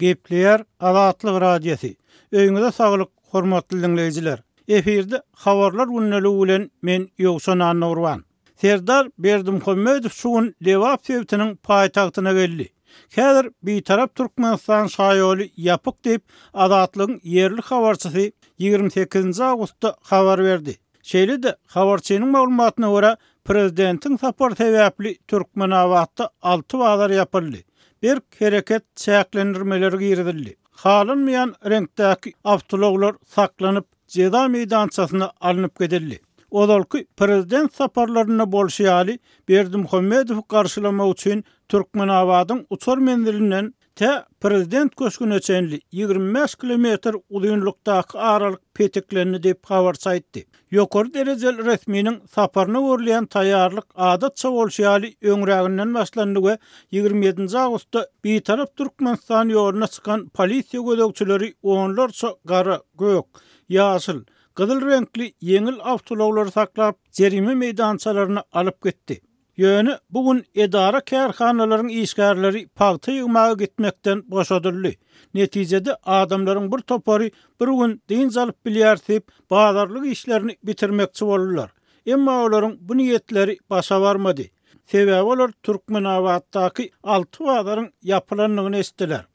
Gepleýär Azatlyk Radiosy. Öýüňize saglyk, hormatly diňleýjiler! Efirde Habarlar gündeligi bilen men Ýowşan Annagurban. Serdar Berdimuhamedow şu gün Lebap sebitiniň paýtagtyna geldi. Häzir Bitarap Türkmenistan şaýoly ýapyk diýip, Azatlygyň ýerli habarçysy 28-nji awgustda habar berdi. Şeýle-de, habarçynyň maglumatyna görä, prezidentiň sapary sebäpli Türkmenabatda alty bazar ýapyldy. Berk hereket çäklendirmeleri girizildi. Halanmaýan reňkdäki awtoulaglar saklanyp, jeza meýdançasyna alnyp gidildi. Ozalky prezident saparlarynda bolşy ýaly, Berdimuhamedowy garşylamak üçin Türkmenabadyň uçar menzilinden Tä Prezident köşgüne çenli 25 kilometr uzynlykdaky aralyk petiklendi diýip, habarçy aýtdy. Ýokary derejeli resminiň saparyna görülýän taýýarlyk adatça bolşy ýaly öňräginden başlandy we 27-nji awgustda Bitarap Türkmenistan ýoluna çykan polisiýa gözegçileri onlarça gara, gök, ýaşyl, gyzyl reňkli ýeňil awtoulaglary saklap, jerime meýdançalaryna alyp gitdi. Ýöne bu gün edara-kärhanalaryň işgärleri pagta ýygmaga gitmekden boşadyldy. Netijede adamlaryň bir topary bir gün dynç alyp bilýäris diýip, bazarlyk işlerini bitirmekçi boldular. Emma olaryň bu niýetleri başa barmady. Sebäbi olar Türkmenabatdaky alty bazaryň ýapylandygyny eşitdiler.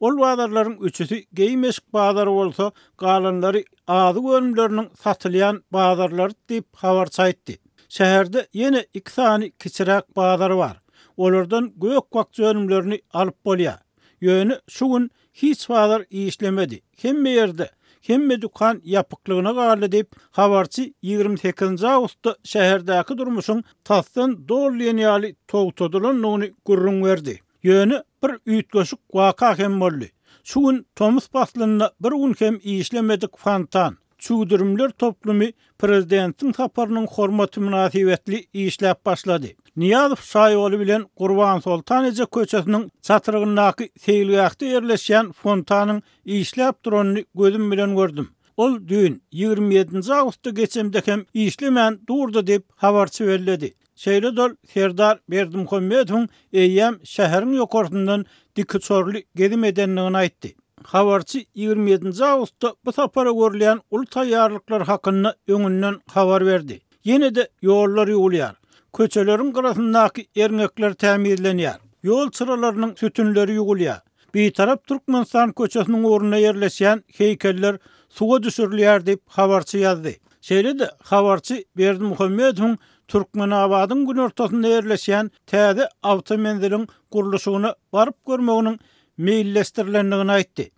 Ol bazarlaryň üçüsi geýim-eşik bazary bolsa, galanlary azyk önümleriniň satylýan bazarlary diýip, habarçy aýtdy. Şäherde ýene iki sany kiçiräk bazar bar. Olardan gök-bakja önümlerini alyp bolýar. Ýöne şu gün hiç bazar işlemedi. Hemme ýerde, hemme dükan ýapyklygyna galdy diýip, habarçy 28-nji awgustda şäherdäki durmuşyň tasdan doly diýen ýaly togtadylandygyny gürrüň berdi. Ýöne bir üýtgeşik waka hem boldy. Şu gün tomus paslynda bir gün hem işlemedik fontan, çüwdürimler toplumy prezidentiň saparynyň hormaty mynasybetli işläp başlady. Nyýazow şaýoly bilen Gurbansoltan eje köçesiniň çatrygyndaky seýilgähde ýerleşýän fontanyň işläp duranyny gözüm bilen gördüm. Ol düýn, 27-nji awgustda geçemde hem işlemän durdy diýip, habarçy belledi. Şeýle-de ol Serdar Berdimuhamedowyň eýýäm şäheriň ýokarsyndan dikuçarly gezim edendigini aýtdy. Habarçy 27-nji awgustda bu sapara görülýän uly taýýarlyklar hakynda öňünden habar berdi. Ýene-de ýollar ýuwulýar. Köçeleriň gyrasyndaky erňekler tämizlenýär. Ýol çyralarynyň sütünleri ýuwulýar. Bitarap Türkmenistan köçesiniň ugrunda ýerleşýän heýkeller suwa düşürilýär diýip, habarçy ýazdy. Şeýle-de, habarçy Berdimuhamedowyň Türkmenabadyň günortasynda ýerleşýän täze awtomenziliň gurluşygyna baryp görmeginiň meýilleşdirilendigini aýtdy.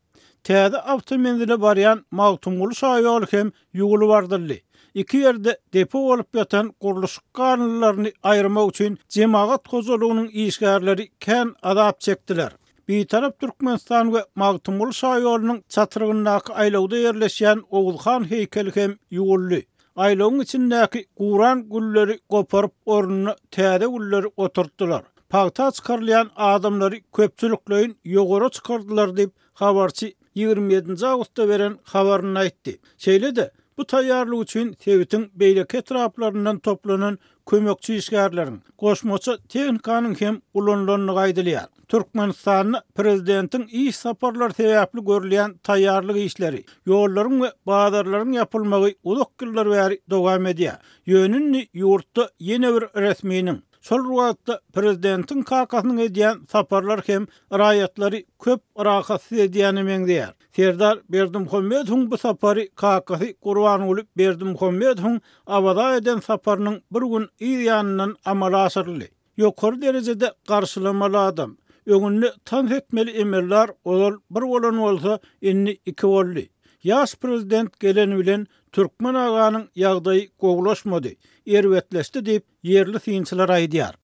Täze awtomenzile barýan Magtymguly şaýoly hem ýuwulyp ardyldy. Iki ýerde depo bolup ýatan gurluşyk galyndylaryny aýyrmak üçin jemagat hojalygynyň işgärleri kän azap çekdiler. Bitarap Türkmenistan we Magtymguly şaýolunyň çatrygyndaky aýlawda ýerleşýän Oguzhan heýkeli hem ýuwuldy. Aýlawyň içindäki guran gülleri goparyp ornuna täze gülleri oturtdylar. Pagta çykarylýan adamlary köpçülikleýin ýogara çykardylar diýip, habarçy 27-nji awgustda beren habarynda aýtdy. Şeýle-de, bu taýýarlyk üçin sebitiň beýleki etraplaryndan toplanan kömekçi işgärleriň, goşmaça tehnikanyň hem ulanylandygy aýdylýar. Türkmenistanda prezidentiň iş saparlary sebäpli görülýän taýýarlyk işleri, ýollaryň we bazarlaryň ýapylmagy uzak ýyllar bäri dowam edýär. Ýöne indi ýurtda ýene bir resminiň, şol bir wagtda prezidentiň kakasynyň edýän saparlary hem raýatlary köp rahatsyz edýäne meňzeýär. Serdar Berdimuhamedowyň bu sapary kakasy Gurbanguly Berdimuhamedowyň Awaza eden saparynyň bir gün yz ýanyndan amala aşyryldy. Ýokary derejede garşylamaly adam. Öňünde tans etmeli emeldar ozal bir bolan bolsa, indi iki boldy. Ýaş prezident geleni bilen Türkmen aganyň ýagdaýy gowulaşmady, erbetleşdi diýip, ýerli synçylar aýdýar.